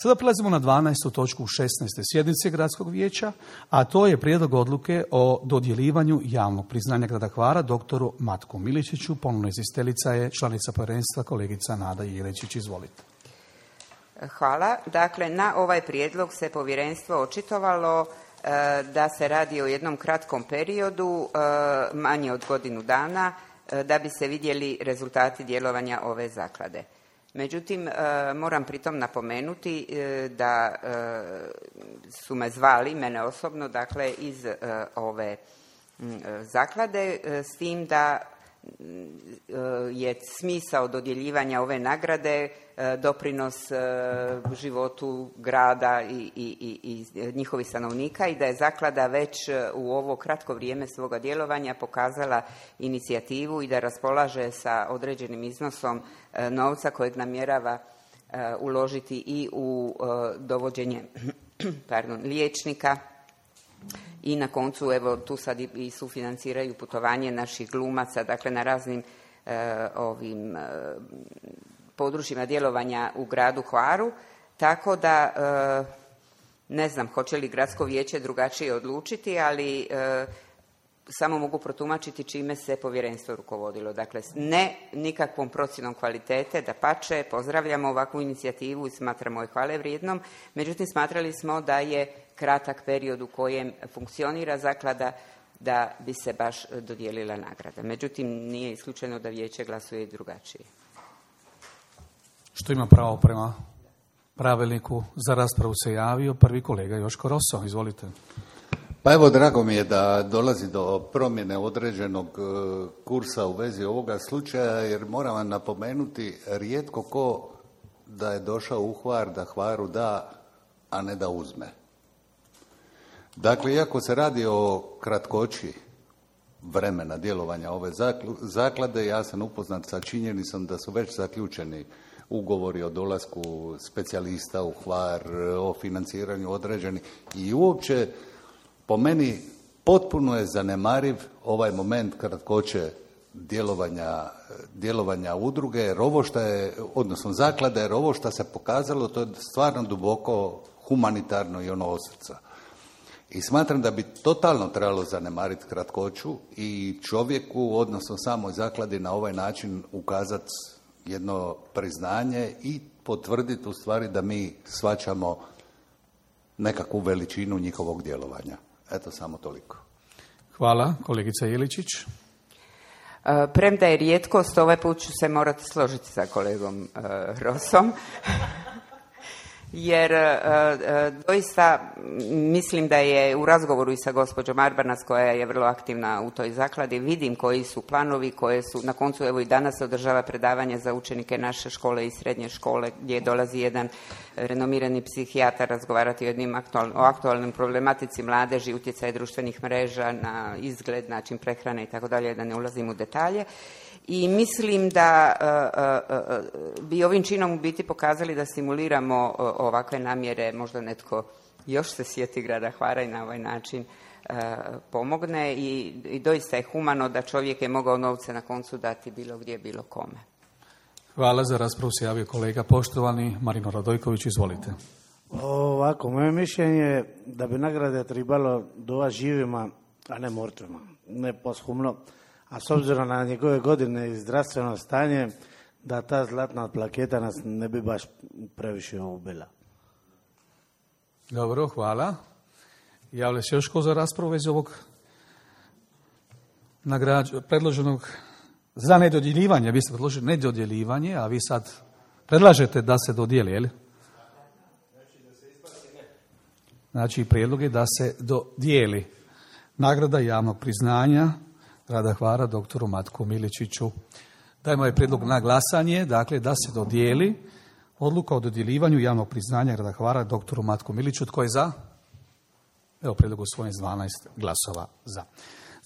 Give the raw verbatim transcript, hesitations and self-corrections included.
Sada prelazimo na dvanaestu točku šesnaeste sjednice Gradskog vijeća, a to je prijedlog odluke o dodjeljivanju javnog priznanja grada Hvara doktoru Matku Miličiću. Ponovno izvjestiteljica je članica povjerenstva kolegica Nada Jelečić. Izvolite. Hvala. Dakle, na ovaj prijedlog se povjerenstvo očitovalo e, da se radi o jednom kratkom periodu, e, manje od godinu dana, e, da bi se vidjeli rezultati djelovanja ove zaklade. Međutim, moram pritom napomenuti da su me zvali, mene osobno, dakle, iz ove zaklade, s tim da je smisao dodjeljivanja ove nagrade doprinos životu grada i, i, i njihovih stanovnika i da je zaklada već u ovo kratko vrijeme svoga djelovanja pokazala inicijativu i da raspolaže sa određenim iznosom novca kojeg namjerava uložiti i u dovođenje pardon, liječnika. I na koncu, evo, tu sad i sufinanciraju putovanje naših glumaca, dakle, na raznim e, ovim e, područjima djelovanja u gradu Hvaru, tako da e, ne znam hoće li gradsko vijeće drugačije odlučiti, ali e, samo mogu protumačiti čime se povjerenstvo rukovodilo. Dakle, ne nikakvom procjenom kvalitete, dapače, pozdravljamo ovakvu inicijativu i smatramo je hvale vrijednom, međutim smatrali smo da je kratak period u kojem funkcionira zaklada da bi se baš dodijelila nagrada. Međutim, nije isključeno da vijeće glasuje i drugačije. Što ima pravo prema pravilniku? Za raspravu se javio prvi kolega Joško Roso. Izvolite. Pa evo, drago mi je da dolazi do promjene određenog kursa u vezi ovoga slučaja, jer moram vam napomenuti, rijetko ko da je došao u Hvar da Hvaru da, a ne da uzme. Dakle, iako se radi o kratkoći vremena djelovanja ove zaklade, ja sam upoznat sa činjenicom da su već zaključeni ugovori o dolasku specijalista u Hvar, o financiranju određenih i uopće po meni potpuno je zanemariv ovaj moment kratkoće djelovanja, djelovanja udruge, jer ovo što je, odnosno zaklade, jer ovo što se pokazalo, to je stvarno duboko humanitarno i ono od srca. I smatram da bi totalno trebalo zanemariti kratkoću i čovjeku, odnosno samoj zakladi, na ovaj način ukazati jedno priznanje i potvrditi u stvari da mi shvaćamo nekakvu veličinu njihovog djelovanja. Eto, samo toliko. Hvala. Kolegica Jeličić. Premda je rijetkost, ovaj put ću se morati složiti sa kolegom uh, Rosom. Jer uh, doista mislim da je u razgovoru i sa gospođom Arbanac, koja je vrlo aktivna u toj zakladi, vidim koji su planovi, koje su, na koncu evo i danas se održava predavanje za učenike naše škole i srednje škole, gdje dolazi jedan renomirani psihijatar razgovarati o, jednim aktual, o aktualnoj problematici mladeži, utjecaj društvenih mreža na izgled, način prehrane i tako dalje, da ne ulazim u detalje. I mislim da uh, uh, bi ovim činom u biti pokazali da simuliramo uh, ovakve namjere, možda netko još se sjeti grada Hvara i na ovaj način uh, pomogne i, i doista je humano da čovjek je mogao novce na koncu dati bilo gdje, bilo kome. Hvala. Za raspravu se javio kolega poštovani Marino Radojković. Izvolite. Ovako, moje mišljenje je da bi nagrade trebalo dova živima, a ne mrtvima, ne poshumno. A s obzirom na njegove godine i zdravstveno stanje, da ta zlatna plaketa nas ne bi baš previše ubila. Dobro, hvala. Javlja se još ko za raspravu već ovog nagrađ... predloženog za nedodjeljivanje. Vi ste predložili nedodjeljivanje, a vi sad predlažete da se dodijeli, je li? Znači, prijedlog je da se dodijeli nagrada javnog priznanja grada Hvara doktoru Matku Miličiću. Dajmo je prijedlog na glasanje, dakle da se dodijeli odluka o dodjeljivanju javnog priznanja grada Hvara doktoru Matku Miličiću. Tko je za? Evo, prijedlog usvojen s dvanaest glasova za.